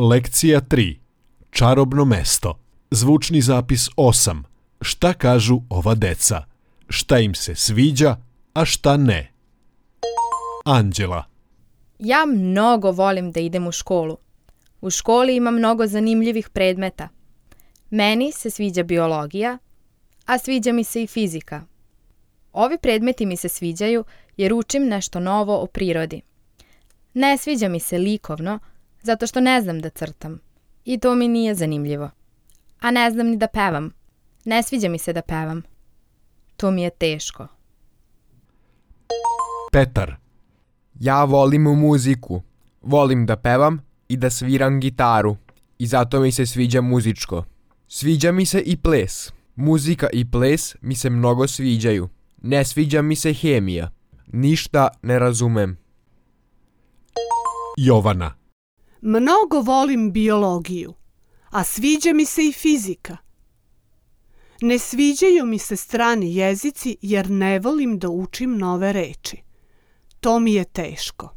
Lekcija 3. Čarobno mesto. Zvučni zapis 8. Šta kažu ova deca? Šta im se sviđa, a šta ne? Anđela. Ja mnogo volim da idem u školu. U školi ima mnogo zanimljivih predmeta. Meni se sviđa biologija, a sviđa mi se i fizika. Ovi predmeti mi se sviđaju jer učim nešto novo o prirodi. Ne sviđa mi se likovno, zato što ne znam da crtam. I to mi nije zanimljivo. A ne znam ni da pevam. Ne sviđa mi se da pevam. To mi je teško. Petar. Ja volim muziku. Volim da pevam i da sviram gitaru. I zato mi se sviđa muzičko. Sviđa mi se i ples. Muzika i ples mi se mnogo sviđaju. Ne sviđa mi se hemija. Ništa ne razumem. Jovana. Mnogo volim biologiju, a sviđa mi se i fizika. Ne sviđaju mi se strani jezici jer ne volim da učim nove reči. To mi je teško.